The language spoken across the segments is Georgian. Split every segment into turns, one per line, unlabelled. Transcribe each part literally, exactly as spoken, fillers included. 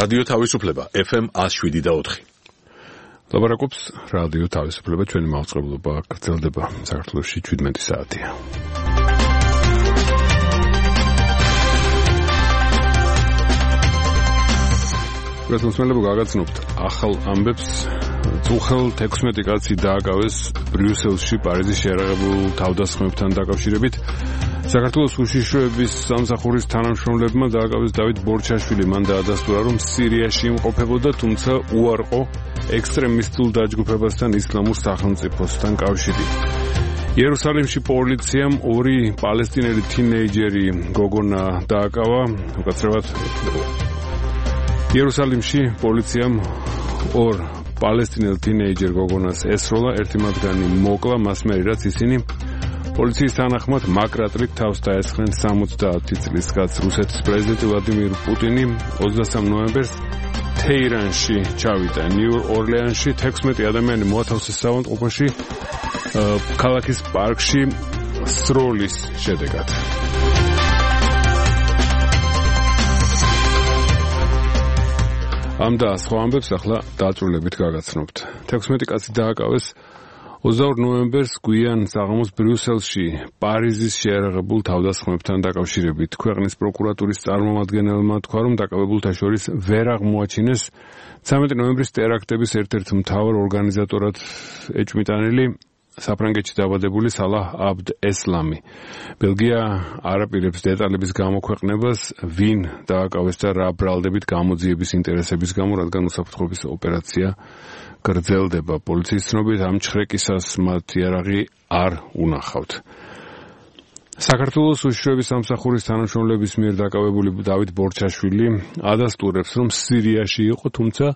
რადიო თავისუფლება F M one oh seven და four.
ლაპარაკობს რადიო თავისუფლება, ჩვენი მაუწყებლობა გრძელდება საქართველოში seventeen საათია. რესურსმელებო გაგაცნობთ ახალ ამბებს. წუხელ თექვსმეტი კაცი დააკავეს ბრიუსელში პარიზის შეერაღებულ თავდასხმებთან დაკავშირებით. საქართველოს უშიშროების სამსახურის თანამშრომლებმა დააკავეს დავით ბორჩაშვილი. მან დაადასტურა, რომ სირიაში იმყოფებოდა, თუმცა უარყო ექსტრემისტულ დაჯგუფებასთან ისლამურ სახელმწიფოსთან კავშირი. იერუსალიმში პოლიციამ ორი პალესტინელი თინეიჯერი გოგონა დააკავა. უკაცრავად იერუსალიმში პოლიციამ ორ პალესტინელ თინეიჯერ გოგონას ესროლა, ერთი მათგანი მოკლა, მას მერე რაც ისინი პოლიციის თანახმად მაკრატლით თავს დაესხნენ სამოცდაათი წლის კაცს. რუსეთის პრეზიდენტი ვლადიმირ პუტინი ოცდასამ ნოემბერს თეირანში ჩავიდა. ნიუ-ორლეანში თექვსმეტი ადამიანი მოათავსეს საავადმყოფოში ქალაქის პარკში სროლის შედეგად. ამ და სხვა ამბებს ახლა დაწვრილებით გაგაცნობთ. თექვსმეტი კაცი დააკავეს ოცდაორ ნოემბერს გვიან საღამოს ბრიუსელში პარიზის შეერაღებულ თავდასხმებთან დაკავშირებით. ქვეყნის პროკურატურის წარმომადგენელმა თქვა, რომ დაკავებულთა შორის ვერ აღმოაჩინეს ცამეტი ნოემბრის ტერაქტების ერთ-ერთ მთავარ ორგანიზატორად ეჭვმიტანილი საფრანგეთში დაბადებული სალაჰ აბდ ესლამი. ბელგია არ აპირებს დეტალების გამოქვეყნებას, ვინ დააკავეს და რა ბრალდებით გამოძიების ინტერესების გამო, რადგან უსაფრთხოების ოპერაცია გრძელდება. პოლიციის ცნობით ამ ჩხრეკისას მათ იარაღი არ უნახავთ. საქართველოს უშიშროების სამსახურის თანამშრომლების მიერ დაკავებული დავით ბორჩაშვილი ადასტურებს, რომ სირიაში იყო, თუმცა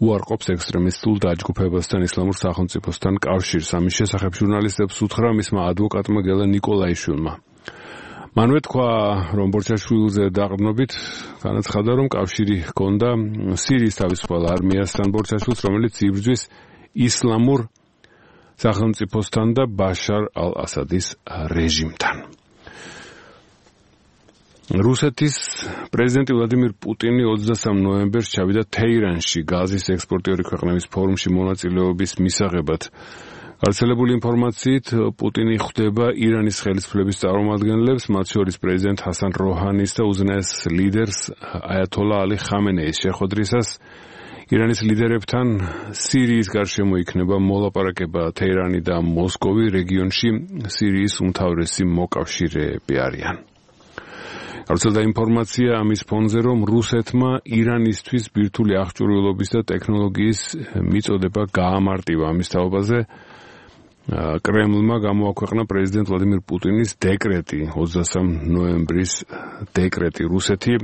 უარყოფს ექსტრემისტულ დაჯგუფებასთან ისლამურ სახელმწიფოსთან კავშირს. ამის შესახებ ჟურნალისტებს უთხრა მისმა ადვოკატმა გელა ნიკოლაიშვილმა. მანვე თქვა, რომ ბორჩაშვილზე დაყრდნობით განაცხადა, რომ კავშირი ჰქონდა სირიის თავისუფალ არმიასთან ბორჩაშვილს, რომელიც იბრძვის ისლამურ სახელმწიფოსთან და ბაშარ ალ-ასადის რეჟიმთან. რუსეთის პრეზიდენტი ვლადიმირ პუტინი ოცდასამ ნოემბერს ჩავიდა თეირანში გაზის ექსპორტიორი ქვეყნების ფორუმში მონაწილეობის მისაღებად. გავრცელებული ინფორმაციით, პუტინი ხვდება ირანის ხელისუფლების წარმომადგენლებს, მათ შორის პრეზიდენტ ჰასან როჰანის და უზენაეს ლიდერს აიათოლა ალი ხამენეის შეხვედრისას. ირანის ლიდერებთან სირიის გარშემო იქნება მოლაპარაკება. თეირანი და მოსკოვი რეგიონში სირიის უმთავრესი მოკავშირეები არიან. გავრცელდა ინფორმაცია ამის ფონზე, რომ რუსეთმა ირანისთვის ბირთვული აღჭურვილობის და ტექნოლოგიის მიწოდება გაამარტივა. ამის თაობაზე კრემლმა გამოაქვეყნა პრეზიდენტ ვლადიმირ პუტინის დეკრეტი, ოცდასამ ნოემბრის დეკრეტი. რუსეთი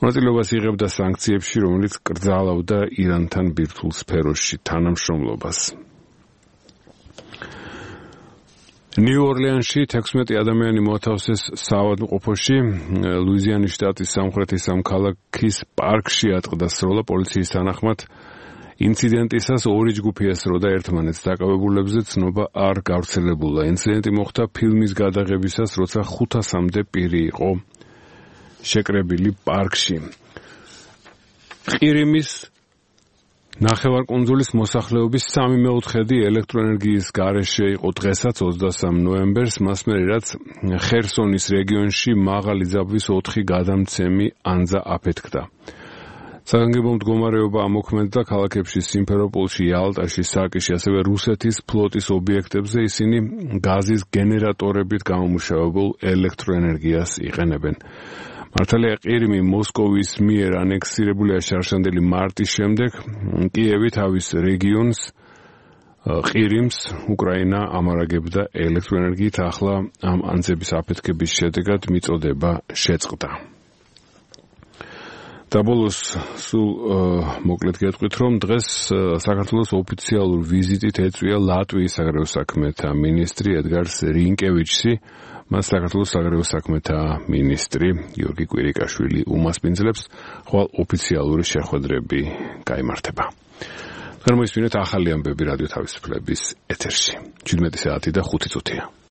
მონაწილეობას იღებდა სანქციებში, რომელიც კრძალავდა ირანთან ბირთვულ სფეროში თანამშრომლობას. ნიუ-ორლეანში თექვსმეტი ადამიანი მოათავსეს საავადმყოფოში. ლუიზიანის შტატის სამხრეთის ამ ქალაქის პარკში ატყდა სროლა. პოლიციის თანახმად ინციდენტისას ორი ჯგუფი ესროდა ერთმანეთს. დაკავებულებზე ცნობა არ გავრცელებულა. ინციდენტი მოხდა ფილმის გადაღებისას, როცა ხუთასამდე პირი იყო შეკრებილი პარკში. ყირიმის ნახევარკუნძულის მოსახლეობის სამი მეოთხედი ელექტროენერგიის გარეშე იყო დღესაც ოცდასამ ნოემბერს, მას მერე რაც ხერსონის რეგიონში მაღალი ძაბვის ოთხი გადამცემი ანძა აფეთქდა. საგანგებო მდგომარეობა ამოქმედდა ქალაქებში სიმფეროპოლში, იალტაში, საკიში, ასევე რუსეთის ფლოტის ობიექტებზე. ისინი გაზის გენერატორებით გამომუშავებულ ელექტროენერგიას იყენებენ. მართალია ყირიმი მოსკოვის მიერ ანექსირებულია შარშანდელი მარტის შემდეგ. კიევი თავის რეგიონს ყირიმს უკრაინა ამარაგებდა ელექტროენერგიით. ახლა ამ ანძების აფეთქების შედეგად მიწოდება შეწყდა. და ბოლოს სულ მოკლედ გეტყვით, რომ დღეს საქართველოს ოფიციალურ ვიზიტით ეწვია ლატვიის საგარეო საქმეთა მინისტრი ედგარს რინკევიჩსი. მას საქართველოს საგარეო საქმეთა მინისტრი გიორგი კვირიკაშვილი უმასპინძლებს, ხვალ ოფიციალური შეხვედრები გაიმართება. გამოისმინეთ ახალი ამბები რადიო თავისუფლების ეთერში. seventeen საათი და ხუთი წუთია.